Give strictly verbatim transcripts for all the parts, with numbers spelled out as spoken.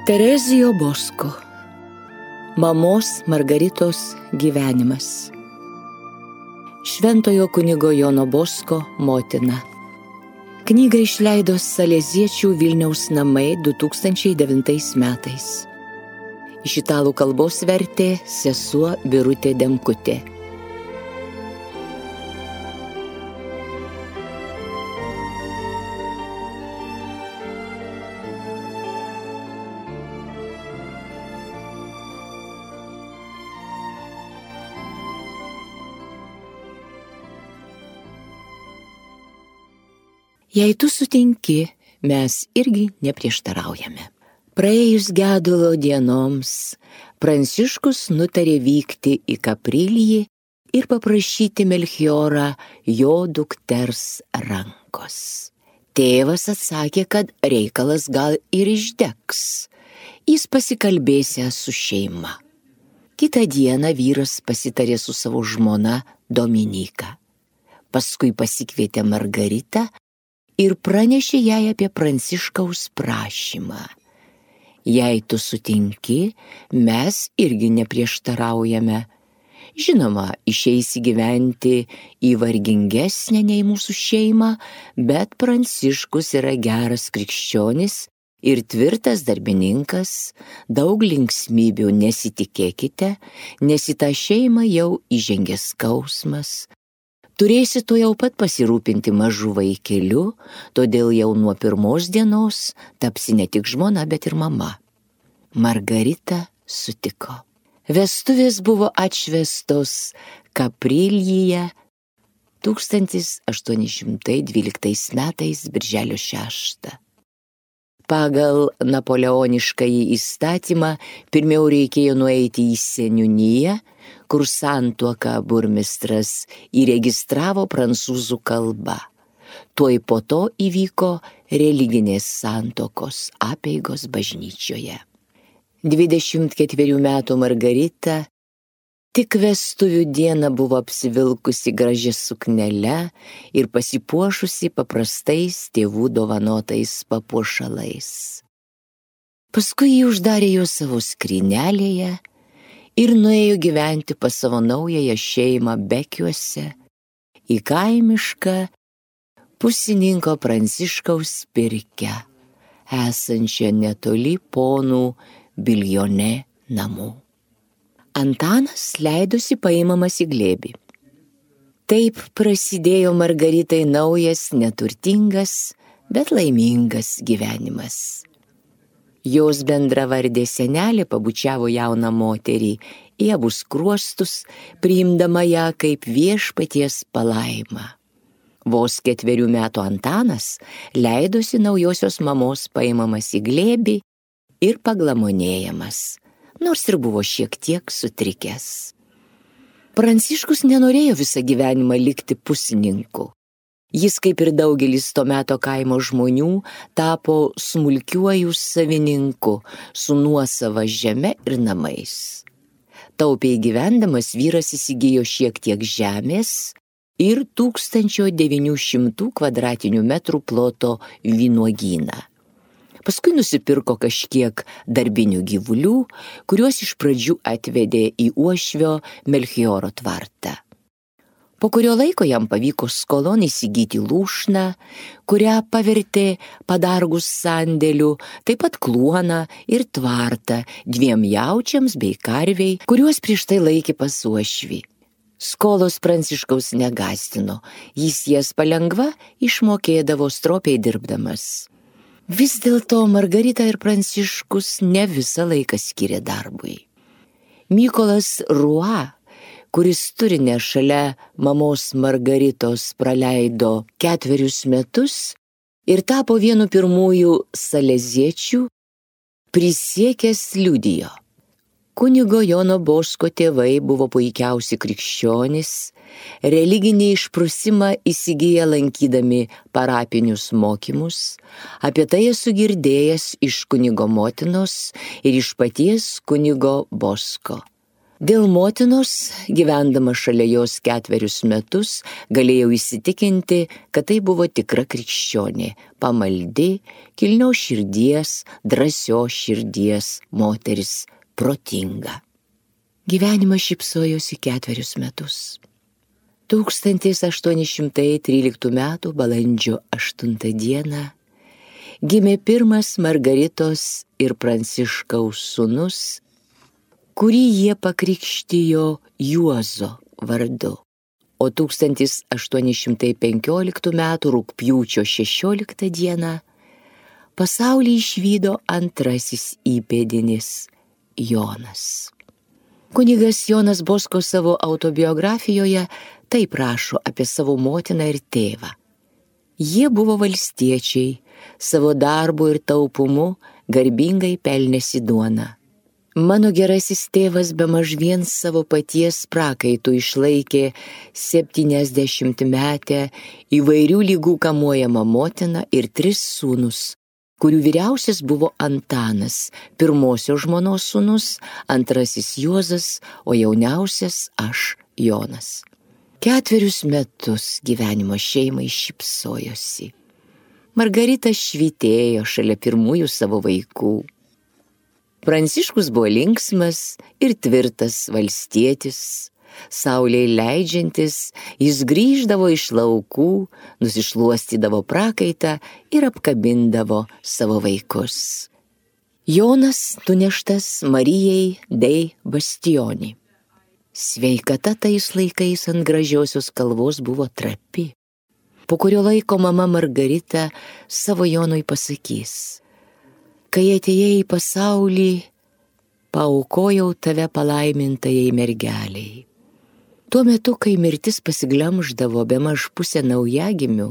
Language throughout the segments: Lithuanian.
Terezijo Bosko. Mamos Margaritos gyvenimas. Šventojo kunigo Jono Bosko motina. Knygą išleido Saleziečių Vilniaus namai du tūkstančiai devintais metais. Iš italų kalbos vertė sesuo Birutė Demkutė. Jei tu sutinki, mes irgi neprieštaraujame. Praėjus gedulo dienoms, Pranciškus nutarė vykti į Kaprilijį ir paprašyti Melchiorą jo dukters rankos. Tėvas atsakė, kad reikalas gal ir išdegs. Jis pasikalbėsęs su šeima. Kitą dieną vyras pasitarė su savo žmona Dominyka. Paskui pasikvietė Margaritą ir pranešė jai apie Pranciškaus prašymą. Jei tu sutinki, mes irgi neprieštaraujame. Žinoma, išeisi gyventi į vargingesnę nei mūsų šeimą, bet Pranciškus yra geras krikščionis ir tvirtas darbininkas, daug linksmybių nesitikėkite, nes į tą šeimą jau įžengė skausmas. Turėsi tu jau pat pasirūpinti mažu vaikeliu, todėl jau nuo pirmos dienos tapsi ne tik žmona, bet ir mama. Margarita sutiko. Vestuvės buvo atšvęstos Kaprilijyje tūkstantis aštuoni šimtai dvyliktais metais birželio šeštą. Pagal napoleoniškąjį įstatymą pirmiau reikėjo nueiti į seniūniją, kur santuoką burmistras įregistravo prancūzų kalba. Tuoj po to įvyko religinės santuokos apeigos bažnyčioje. dvidešimt ketverių metų Margarita tik vestuvių dieną buvo apsivilkusi gražia suknele ir pasipuošusi paprastais tėvų dovanotais papuošalais. Paskui jį uždarė jo savo skrynelėje ir nuėjo gyventi pas savo naująją šeimą Bekiuose, į kaimišką pusininko Pranciškaus pirkią, esančią netoli ponų Biljone namų. Antanas leidosi paimamas į glėbį. Taip prasidėjo Margaritai naujas, neturtingas, bet laimingas gyvenimas. Jos bendravardė senelė pabučiavo jauną moterį į abu skruostus, priimdama ją kaip viešpaties palaimą. Vos ketverių metų Antanas leidosi naujosios mamos paimamas į glėbį ir paglamonėjamas, nors ir buvo šiek tiek sutrikęs. Pranciškus nenorėjo visą gyvenimą likti pusininku. Jis, kaip ir daugelis to meto kaimo žmonių, tapo smulkiuoju savininku su nuosava žeme ir namais. Taupiai gyvendamas vyras įsigijo šiek tiek žemės ir tūkstančio devynių šimtų kvadratinių metrų ploto vynuogyną. Paskui nusipirko kažkiek darbinių gyvulių, kuriuos iš pradžių atvedė į uošvio Melchioro tvartą. Po kurio laiko jam pavyko skolon įsigyti lūšną, kurią pavertė padargus sandėliu, taip pat kluoną ir tvartą dviem jaučiams bei karviai, kuriuos prieš tai laikė pas uošvį. Skolos Pranciškaus negąsdino, jis jas palengva išmokėdavo stropiai dirbdamas. Vis dėlto Margarita ir Pranciškus ne visą laiką skyrė darbui. Mykolas Rua, kuris turinę šalia mamos Margaritos praleido ketverius metus ir tapo vienu pirmųjų saleziečių, prisiekęs liudijo. Kunigo Jono Bosko tėvai buvo puikiausi krikščionys, religinį išprusimą įsigiję lankydami parapinius mokymus, apie tai esu girdėjęs iš kunigo motinos ir iš paties kunigo Bosko. Dėl motinos, gyvendama šalia jos ketverius metus, galėjau įsitikinti, kad tai buvo tikra krikščionė, pamaldi, kilnios širdies, drąsios širdies moteris, protinga. Gyvenimas šypsojosi ketverius metus. tūkstantis aštuoni šimtai tryliktų metų balandžio aštuntą dieną gimė pirmas Margaritos ir Pranciškaus sūnus, kurį jie pakrikštijo Juozo vardu. O tūkstantis aštuoni šimtai penkioliktų metų rugpjūčio šešioliktą dieną pasaulį išvydo antrasis įpėdinis Jonas. Kunigas Jonas Bosko savo autobiografijoje taip rašo apie savo motiną ir tėvą. Jie buvo valstiečiai, savo darbu ir taupumu garbingai pelnėsi duoną. Mano gerasis tėvas bemaž vien savo paties prakaitų išlaikė septyniasdešimtmetę įvairių lygų kamuojamą motiną ir tris sūnus, kurių vyriausias buvo Antanas, pirmosios žmonos sūnus, antrasis Juozas, o jauniausias aš, Jonas. Ketverius metus gyvenimo šeimai šypsojosi. Margarita švytėjo šalia pirmųjų savo vaikų. Pranciškus buvo linksmas ir tvirtas valstietis. Saulei leidžiantis, jis grįždavo iš laukų, nusišluostydavo prakaitą ir apkabindavo savo vaikus. Jonas nuneštas Marijai dei Bastioni. Sveikata tais laikais ant gražiosios kalvos buvo trapi. Po kurio laiko mama Margarita savo Jonui pasakys: kai atėjai į pasaulį, paaukojau tave palaimintajai mergeliai. Tuo metu, kai mirtis pasiglemždavo bemaž pusę naujagimių,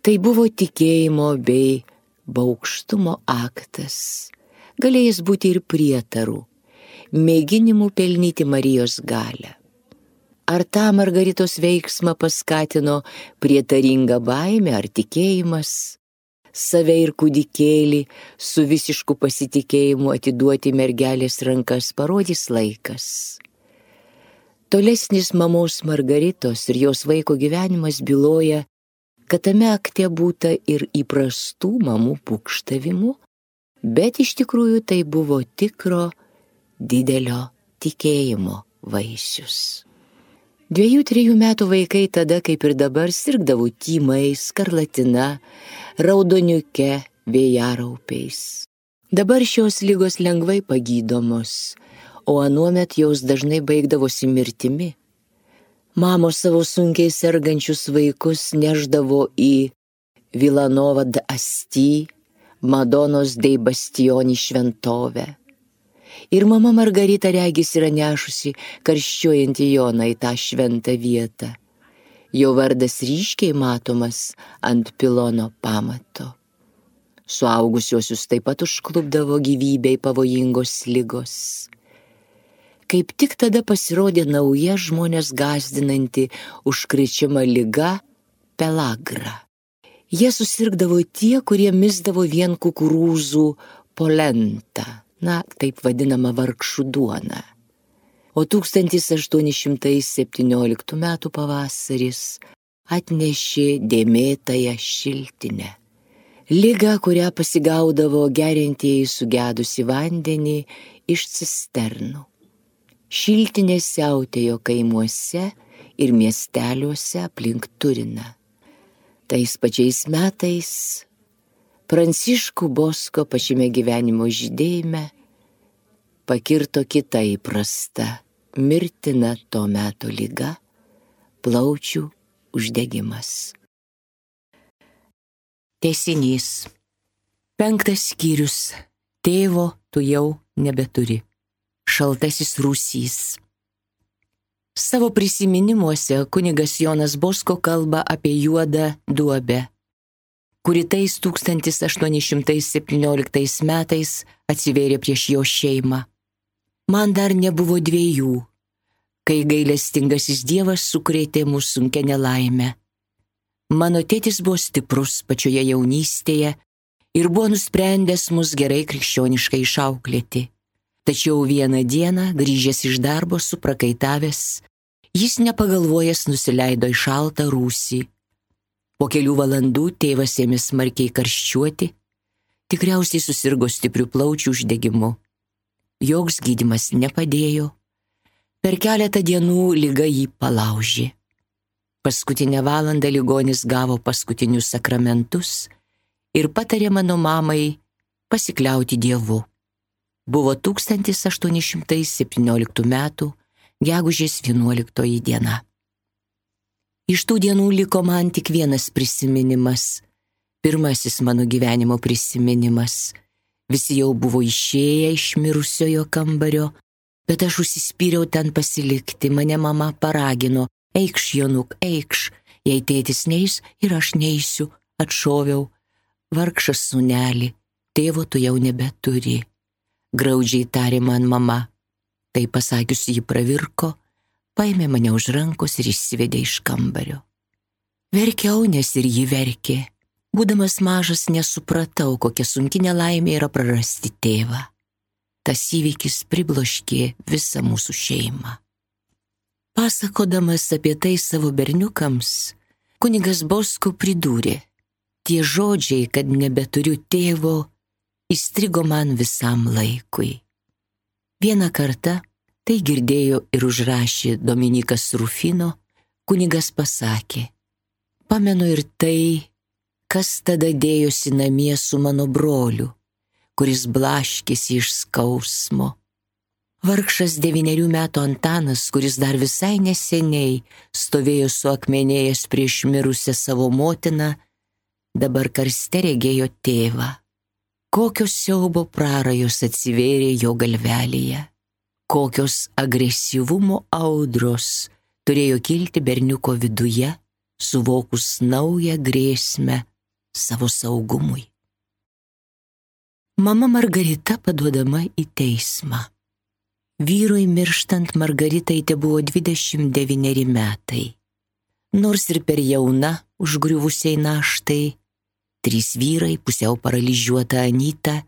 tai buvo tikėjimo bei baugštumo aktas, galėjęs būti ir prietarų, mėginimų pelnyti Marijos galią. Ar tą Margaritos veiksmą paskatino prietaringa baimė ar tikėjimas? Save ir kūdikėlį su visišku pasitikėjimu atiduoti mergelės rankas parodys laikas. Tolesnis mamos Margaritos ir jos vaiko gyvenimas byloja, kad tame akte būta ir įprastų mamų pūkštavimų, bet iš tikrųjų tai buvo tikro didelio tikėjimo vaisius. Dviejų, trijų metų vaikai tada, kaip ir dabar, sirgdavo tymais, skarlatina, raudoniuke, vėjaraupiais. Dabar šios ligos lengvai pagydomos, o anuomet jos dažnai baigdavosi mirtimi. Mamos savo sunkiai sergančius vaikus neždavo į Vilanova d'Asti, Madonos dei Bastioni šventovę. Ir mama Margarita regis yra nešusi karščiuojantį Joną į tą šventą vietą. Jo vardas ryškiai matomas ant pilono pamato. Suaugusiuosius taip pat užklupdavo gyvybei pavojingos ligos. Kaip tik tada pasirodė nauja žmonės gąsdinanti užkrečiama liga pelagra. Jie susirgdavo tie, kurie misdavo vien kukurūzų polentą, na, taip vadinama vargšų duona. O tūkstantis aštuoni šimtai septynioliktų metų pavasaris atnešė dėmėtąją šiltinę. Ligą, kurią pasigaudavo geriantieji sugedusi vandenį iš cisternų. Šiltinė siautėjo kaimuose ir miesteliuose aplink Turiną. Tais pačiais metais Pranciškų Bosko pačiame gyvenimo žydėjime pakirto kita įprasta, mirtina to meto liga – plaučių uždegimas. Tęsinys. Penktas skyrius. Tėvo tu jau nebeturi. Šaltasis rūsys. Savo prisiminimuose kunigas Jonas Bosko kalba apie juodą duobę, kuri tais tūkstantis aštuoni šimtai septynioliktais metais atsivėrė prieš jo šeimą. Man dar nebuvo dviejų, kai gailestingasis Dievas sukrėtė mūsų sunkia nelaimę. Mano tėtis buvo stiprus pačioje jaunystėje ir buvo nusprendęs mus gerai krikščioniškai išauklėti. Tačiau vieną dieną, grįžęs iš darbo suprakaitavęs, jis nepagalvojęs nusileido į šaltą rūsį. Po kelių valandų tėvas ėmė smarkiai karščiuoti, tikriausiai susirgo stiprių plaučių uždegimu. Joks gydymas nepadėjo. Per keletą dienų liga jį palaužė. Paskutinę valandą ligonis gavo paskutinius sakramentus ir patarė mano mamai pasikliauti Dievu. Buvo tūkstantis aštuoni šimtai septynioliktų metų gegužės vienuoliktoji diena. Iš tų dienų liko man tik vienas prisiminimas, pirmasis mano gyvenimo prisiminimas. Visi jau buvo išėję iš mirusiojo kambario, bet aš užsispyriau ten pasilikti. Mane mama paragino: eikš, Jonuk, eikš, jei tėtis neis ir aš neisiu, atšoviau. Vargšas sūneli, tėvo tu jau nebeturi, graudžiai tarė man mama. Tai pasakiusi ji pravirko, paėmė mane už rankos ir išsivedė iš kambario. Verkiau, nes ir ji verkė. Būdamas mažas nesupratau, kokia sunki nelaimė yra prarasti tėvą. Tas įvykis pribloškė visą mūsų šeimą. Pasakodamas apie tai savo berniukams, kunigas Bosko pridūrė: tie žodžiai, kad nebeturiu tėvo, įstrigo man visam laikui. Vieną kartą, tai girdėjo ir užrašė Dominikas Rufino, kunigas pasakė: pamenu ir tai, kas tada dėjosi namie su mano broliu, kuris blaškėsi iš skausmo. Vargšas devynerių metų Antanas, kuris dar visai neseniai stovėjo suakmenėjęs prieš mirusią savo motiną, dabar karste regėjo tėvą. Kokios siaubo prarajos atsivėrė jo galvelėje, kokios agresyvumo audros turėjo kilti berniuko viduje, suvokus naują grėsmę savo saugumui. Mama Margarita paduodama į teismą. Vyrui mirštant Margaritai tebuvo dvidešimt devyneri metai. Nors ir per jauna užgriuvusiai naštai, trys vyrai, pusiau paralyžiuota Anyta,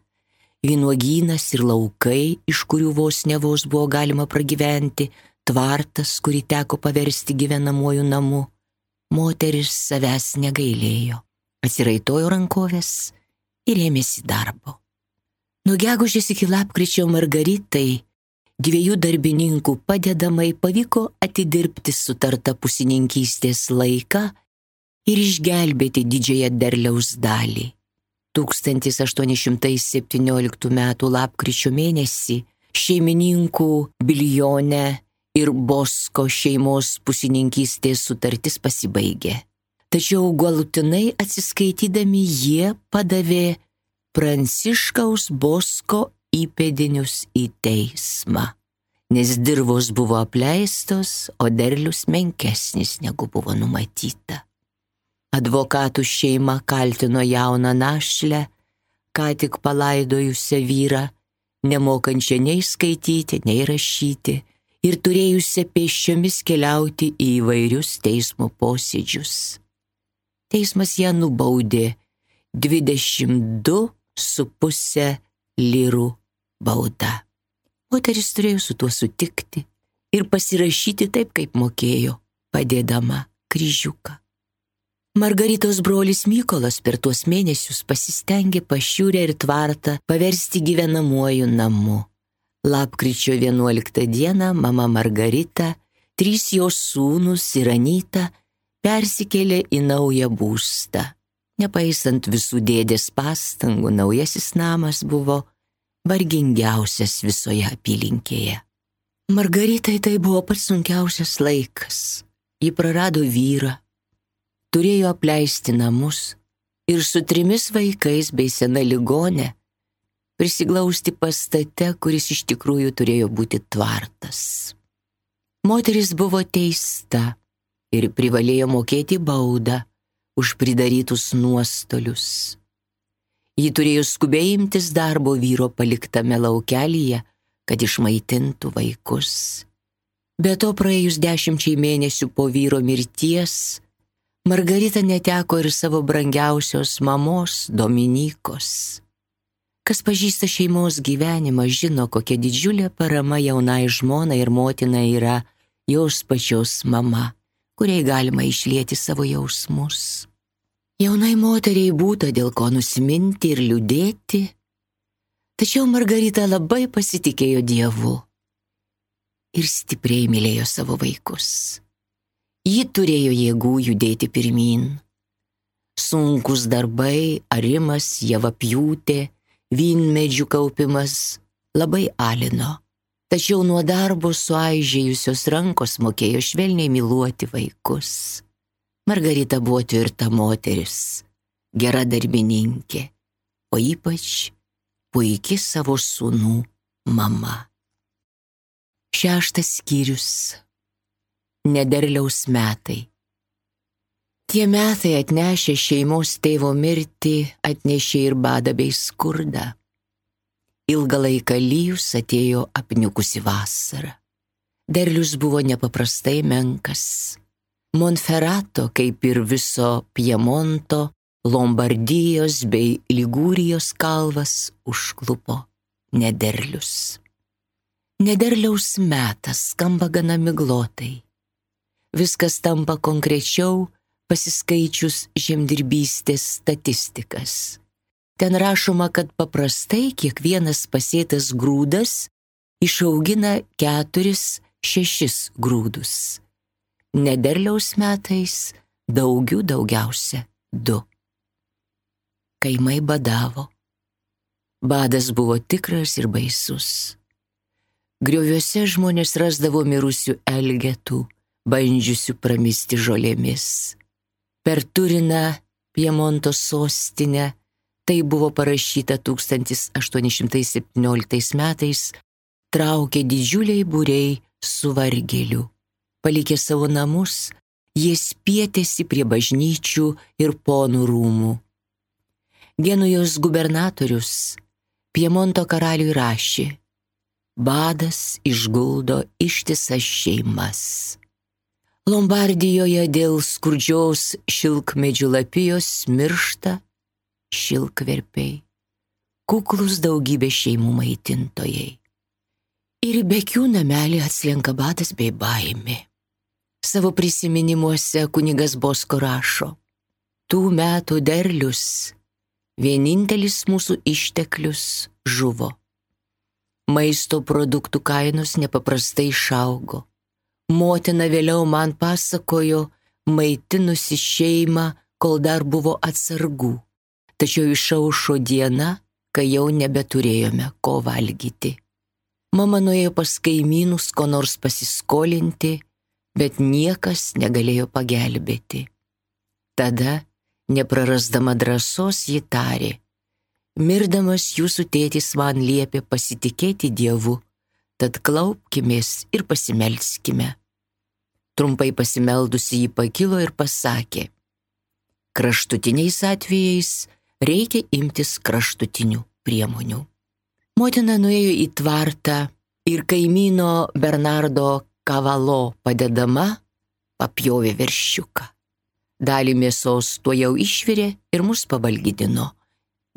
vynuogynas ir laukai, iš kurių vos ne vos buvo galima pragyventi, tvartas, kurį teko paversti gyvenamuoju namu, moteris savęs negailėjo, atsiraitojo rankovės ir ėmėsi darbo. Nuo gegužės iki lapkričio Margaritai, dviejų darbininkų padedamai, pavyko atidirbti sutartą pusininkystės laiką ir išgelbėti didžiąją derliaus dalį. tūkstantis aštuoni šimtai septynioliktų metų lapkričio mėnesį šeimininkų Bilione ir Bosko šeimos pusininkystės sutartis pasibaigė. Tačiau galutinai atsiskaitydami jie padavė Pranciškaus Bosko įpėdinius į teismą, nes dirvos buvo apleistos, o derlius menkesnis negu buvo numatyta. Advokatų šeima kaltino jauną našlę, ką tik palaidojusią vyrą, nemokančią nei skaityti, nei rašyti ir turėjusią pėsčiomis keliauti į įvairius teismo posėdžius. Teismas ją nubaudė dvidešimt du su pusė lyrų bauda. Moteris turėjo su tuo sutikti ir pasirašyti taip, kaip mokėjo, padėdama kryžiuką. Margaritos brolis Mykolas per tuos mėnesius pasistengė Pašiūrę ir tvartą paversti gyvenamuoju namu. Lapkričio vienuoliktą dieną mama Margarita, trys jos sūnūs ir Anyta persikėlė į naują būstą. Nepaisant visų dėdės pastangų, naujasis namas buvo vargingiausias visoje apylinkėje. Margaritai tai buvo pats sunkiausias laikas. Ji prarado vyrą, turėjo apleisti namus ir su trimis vaikais bei sena ligone prisiglausti pastate, kuris iš tikrųjų turėjo būti tvartas. Moteris buvo teista ir privalėjo mokėti baudą už pridarytus nuostolius. Ji turėjo skubiai imtis darbo vyro paliktame laukelyje, kad išmaitintų vaikus. Be to, praėjus dešimčiai mėnesių po vyro mirties, Margarita neteko ir savo brangiausios mamos Dominykos. Kas pažįsta šeimos gyvenimą, žino, kokia didžiulė parama jaunai žmonai ir motina yra jos pačios mama, kuriai galima išlieti savo jausmus. Jaunai moteriai būta dėl ko nusiminti ir liūdėti, tačiau Margarita labai pasitikėjo Dievu ir stipriai mylėjo savo vaikus. Ji turėjo jėgų judėti pirmyn. Sunkus darbai, arimas, javapjūtė, vynmedžių kaupimas labai alino, tačiau nuo darbo suaižėjusios rankos mokėjo švelniai myluoti vaikus. Margarita buvo tvirta moteris, gera darbininkė, o ypač puiki savo sūnų mama. Šeštas skyrius. Nederliaus metai. Tie metai atnešė šeimos tėvo mirtį, atnešė ir badą bei skurdą. Ilgą laiką lyjus atėjo apniukusi vasara. Derlius buvo nepaprastai menkas. Monferato, kaip ir viso Piemonto, Lombardijos bei Ligūrijos kalvas užklupo nederlius. Nederliaus metas skamba gana miglotai. Viskas tampa konkrečiau pasiskaičius žemdirbystės statistikas. Ten rašoma, kad paprastai kiekvienas pasėtas grūdas išaugina keturis, šešis grūdus. Nederliaus metais daugių daugiausia du. Kaimai badavo. Badas buvo tikras ir baisus. Grioviuose žmonės rasdavo mirusių elgetų, bandžiusių pramisti žolėmis. Per Turiną, Piemonto sostinę, tai buvo parašyta tūkstantis aštuoni šimtai septynioliktais metais, traukė didžiuliai būriai suvargėlių. Palikę savo namus, jie spietėsi prie bažnyčių ir ponų rūmų. Genujos gubernatorius Piemonto karaliui rašė: badas išguldo ištisas šeimas. Lombardijoje dėl skurdžios šilkmedžių lapijos miršta šilkverpiai, kuklus daugybė šeimų maitintojai. Ir į Bekių namelį atslenka badas bei baimė. Savo prisiminimuose kunigas Bosko rašo: tų metų derlius, vienintelis mūsų išteklius, žuvo. Maisto produktų kainos nepaprastai išaugo. Motina vėliau man pasakojo, maitinusi šeimą, kol dar buvo atsargų. Tačiau išaušo diena, kai jau nebeturėjome ko valgyti. Mama nuėjo pas kaimynus ko nors pasiskolinti, bet niekas negalėjo pagelbėti. Tada, neprarasdama drąsos, ji tarė: mirdamas jūsų tėtis man liepė pasitikėti Dievu, tad klaupkimės ir pasimelskime. Trumpai pasimeldusi ji pakilo ir pasakė: kraštutiniais atvejais reikia imtis kraštutinių priemonių. Motina nuėjo į tvartą ir kaimyno Bernardo Kavalo padedama papjovė veršiuką. Dalį mėsos tuo jau išvirė ir mus pavalgydino,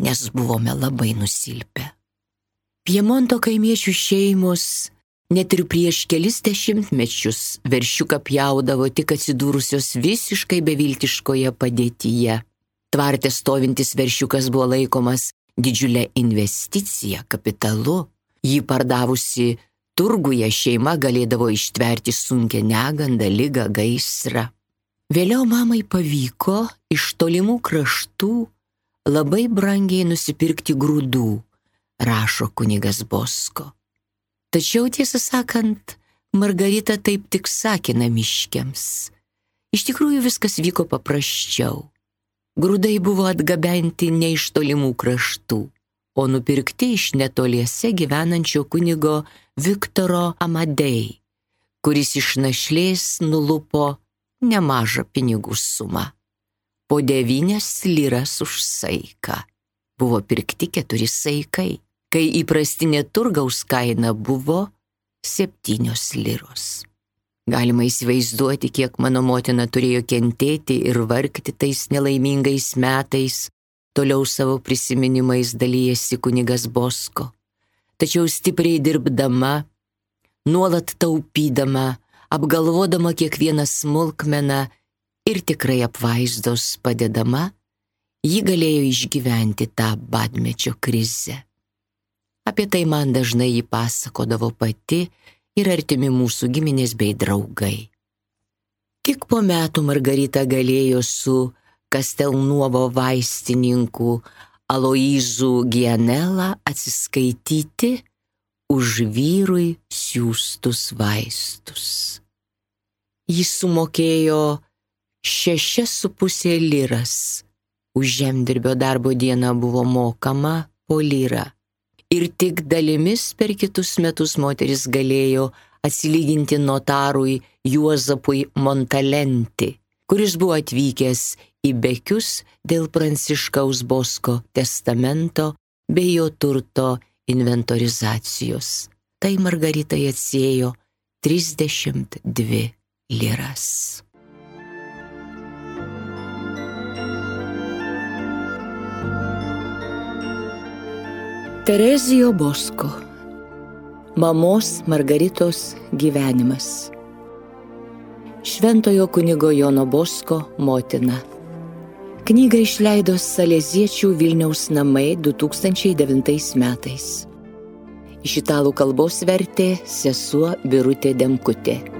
nes buvome labai nusilpę. Piemonto kaimiečių šeimos net ir prieš kelis dešimtmečius veršiuką pjaudavo tik atsidūrusios visiškai beviltiškoje padėtyje. Tvarte stovintis veršiukas buvo laikomas didžiulė investicija kapitalu. Jį pardavusi turguje šeima galėdavo ištverti sunkią negandą, ligą, gaisrą. Vėliau mamai pavyko iš tolimų kraštų labai brangiai nusipirkti grūdų, rašo kunigas Bosko. Tačiau, tiesą sakant, Margarita taip tik sakė namiškiams. Iš tikrųjų viskas vyko paprasčiau. Grūdai buvo atgabenti ne iš tolimų kraštų, o nupirkti iš netoliese gyvenančio kunigo Viktoro Amadei, kuris iš našlės nulupo nemažą pinigų sumą. Po devynias liras už saiką. Buvo pirkti keturi saikai, kai įprastinė turgaus kaina buvo septynios liros. Galima įsivaizduoti, kiek mano motina turėjo kentėti ir vargti tais nelaimingais metais, Toliau savo prisiminimais dalyjasi kunigas Bosko. Tačiau stipriai dirbdama, nuolat taupydama, apgalvodama kiekvieną smulkmeną ir tikrai apvaizdos padedama, ji galėjo išgyventi tą badmečio krizę. Apie tai man dažnai ji pasakodavo pati ir artimi mūsų giminės bei draugai. Tik po metų Margarita galėjo su Kastelnuovo vaistininku Aloyzu Gianella atsiskaityti už vyrui siųstus vaistus. Jis sumokėjo šešias su pusė liras. Už žemdirbio darbo dieną buvo mokama po lirą. Ir tik dalimis per kitus metus moteris galėjo atsilyginti notarui Juozapui Montalenti, kuris buvo atvykęs į Bekius dėl Pranciškaus Bosko testamento bei jo turto inventorizacijos. Tai Margaritai atsiėjo trisdešimt dvi liras. Terezijo Bosko. Mamos Margaritos gyvenimas. Šventojo kunigo Jono Bosko motina. Knygą išleido Saleziečių Vilniaus namai du tūkstančiai devintais metais. Iš italų kalbos vertė sesuo Birutė Demkutė.